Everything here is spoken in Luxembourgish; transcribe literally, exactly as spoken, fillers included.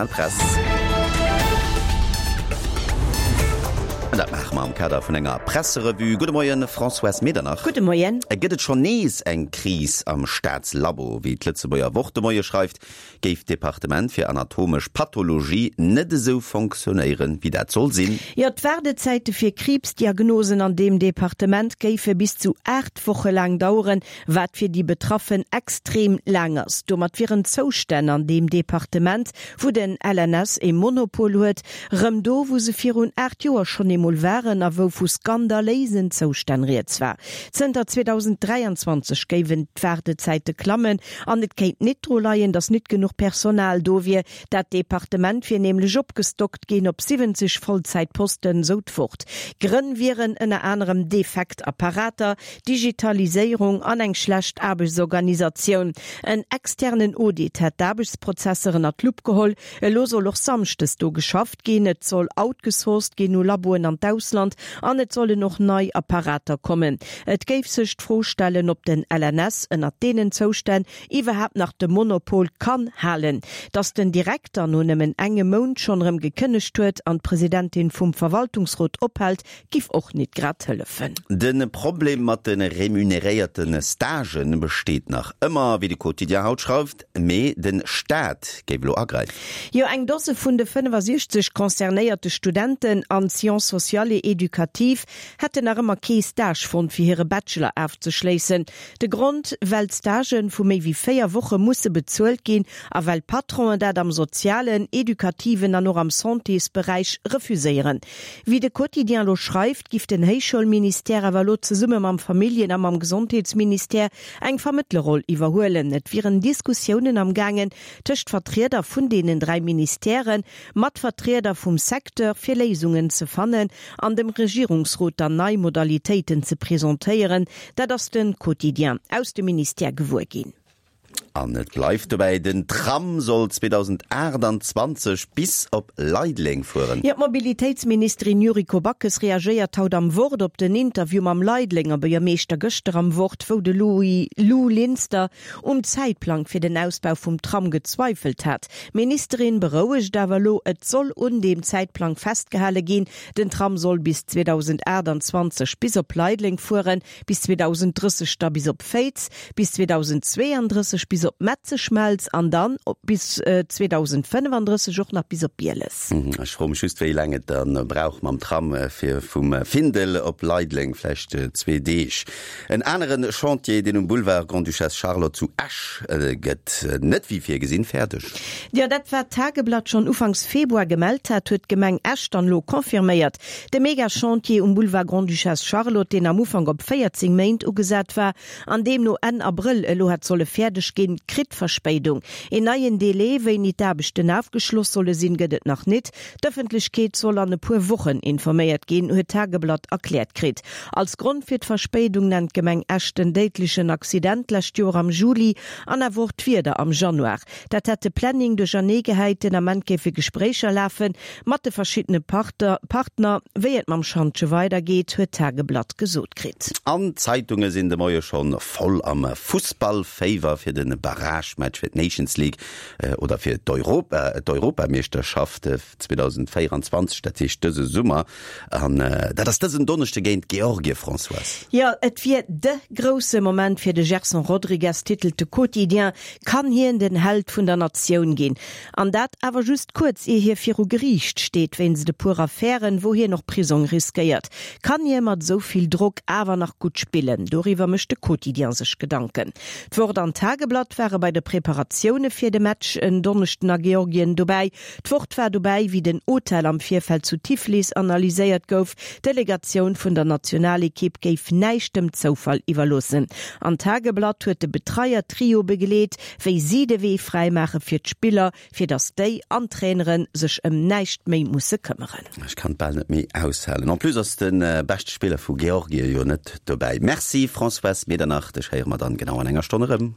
Press. An dat maache mer am Kader vun enger Presserevue. Gudde Moien, Françoise Medernach. Gudde Moien. Gëtt et schonn nees eng Kris am Staatslabo? Wéi d'Lëtzebuerger Wort de Moie schreift, géif d'Departement fir anatomesch Pathologie net esou fonctionnéieren, wéi dat soll sinn. Jo, d'Waardezäite fir Kriibsdiagnosen an deem Departement géife bis zu aacht Woche laang daueren, wat fir déi Betraffen extrem laang ass. Domat wieren d'Zoustänn an deem Departement, wou den L N S e Monopol huet, rëm do, wou se virun aacht Joer schonn eemol waren a wou vu skandaléisen Zoustänn rieds war. Zënter zweedausend dräianzwanzeg géiwen d'Waardezäite klammen an et kéint nit dru leien, datt nit genuch Personal do wier. Dat Departement wier nämlech opgestockt ginn op siwwenzeg Vollzäitposten, sou d'Wort. Grënn wieren ënner anerem defekt Apparater, Digitaliséierung an eng schlecht Aarbechtsorganisatioun. En externen Audit hätt d'Aarbechtsprozesser ënner d'Lupp geholl. Elo soll och samschdes do geschafft ginn, et soll outgesourced ginn u Laboen an d'Ausland an et sollen och nei Apparater kommen. Et géif sech d'Fro stellen, ob den L N S ënnert deenen Zoustänn iwwerhaapt nach de Monopol kann halen. Datt den Direkter no nëmmen engem Mount schonn erëm gekënnegt huet an d'Presidentin vum Verwaltungsrot ophält, giff och nit grad hëllefen. De Problem mat de remuneréierte Stagen besteet nach ëmmer, wéi de Quotidien haut schreift, mee de Staat géif elo agräifen. Jo, eng Dose vun de fënnefasiechzeg concernéierte Studenten an Sciences sociales et éducatives hätten nach ëmmer kee Stage fonnt, fir hire Bachelor ofzeschléissen. De Grond, well d'Stagen vu méi wéi véier Woche musse bezuelt ginn a well Patronen dat am sozialen, edukativen an och am Santésberäich refuséieren. Wéi de Quotidien elo schreift, giff den Héichschoulministère awer elo zesumme mam Familljen a mam Gesondheetsministère eng Vermëttlerroll iwwerhuelen. Et wieren Diskussiounen am gaangen tëscht Vertrieder vun deenen dräi Ministèren, mat Vertrieder vum Secteur, fir Léisungen ze fannen an dem Regierungsrot dann nei Modalitéiten ze presentéieren. Dat ass de Quotidien aus dem Ministère gewuer ginn. An et bleift dobäi, den Tram soll zweedausendaachtanzwanzeg bis op Leideleng fueren. Jo, d'Mobilitéitsministerin Yuriko Backes reagéiert haut am Wort op den Interview mam Leidelenger Buergermeeschter gëschter am Wort, wou de Louis Lou Linster um Zäitplang fir den Ausbau vum Tram gezweifelt hat. D'Ministerin berouegt awer elo, et soll un deem Zäitplang festgehale ginn. Den Tram soll bis zweedausendaachtanzwanzeg bis op Leideleng fueren, bis zweedausendrësseg da bis op Féiz, bis zweedausendzweeandrësseg bis op Metzeschmelz an dann bis zweedausendfënnefandrësseg och nach bis op Bieles. Ech froe mech just, wéi laang et dann brauch mam Tram fir vum Findel op Leideleng, vläicht zwee Deeg. En anere Chantier, deen um Boulevard Grande-Duchesse Charlotte zu Esch, gëtt net wéi virgesinn fäerdeg. Jo, dat wat d'Tageblatt schonn ufanks Februar gemellt hat, huet d'Gemeng Esch dann elo confirméiert. De Mega-Chantier um Boulevard Grande-Duchesse Charlotte, deen am Ufank op véierzéng Méint ugesat war an deemno Enn Abrëll elo hätt solle fäerdeg ginn, kritt Verspéidung. Een neien Delai, wéini d'Aarbechten ofgeschloss solle sinn, gëtt et nach nit. D'Ëffentlechkeet soll an e puer Wochen informéiert ginn, huet d'Tageblatt erkläert kritt. Als Grond fir d'Verspéidung nennt d'Gemeng Esch den déidlechen Accident d'lescht Joer am Juli an awer och d'Wieder am Januar. Dat hätt de Planning duerchernee gehäit. Den Ament géife Gespréicher lafe mat de verschiddene Partner, wéi et mam Schantje weidergeet, huet d'Tageblatt gesot kritt. An d'Zeitunge sinn de Moie schonn voll am Fussballféiwer fir de Barragematch fir d'Nations League oder fir d'Europa, d'Europameeschterschaft zweedausendvéieranzwanzeg, dat heescht dëse Summer. An dat ass dësen Donneschde géint Georgie, Françoise. Jo, et wier de grousse Moment fir de Gerson Rodrigues, titelt de Quotidien. Kann hien den Held vun der Natioun ginn? An dat awer just kuerz ier hie viru Geriicht steet wéinst e puer Affären, wou hien och Prisong riskéiert. Kann hie mat esou vill Drock awer nach gutt spillen? Doriwwer mécht de Quotidien sech Gedanken. D'Wort an d'Tageblatt ware bei de Preparatioune fir de Match en Donneschden a Georgien dobäi. D'Wort war dobäi, wéi den Hotel am Virfeld zu Tiflis analyséiert gouf. D'Delegatioun vun der Nationalekipp géif näischt dem Zoufall iwwerloossen. An d'Tageblatt huet de Betreier-Trio begleet, wéi si de Wee fräimaache fir d'Spiller, fir datt déi an d'Trainere sech ëm näischt méi musse këmmeren. Ech kann et bal net méi aushalen. En plus ass de beschte Spiller vu Georgie jo net dobäi. Merci Françoise Medernach, dech héiere mer dann genau an enger Stonn erëm.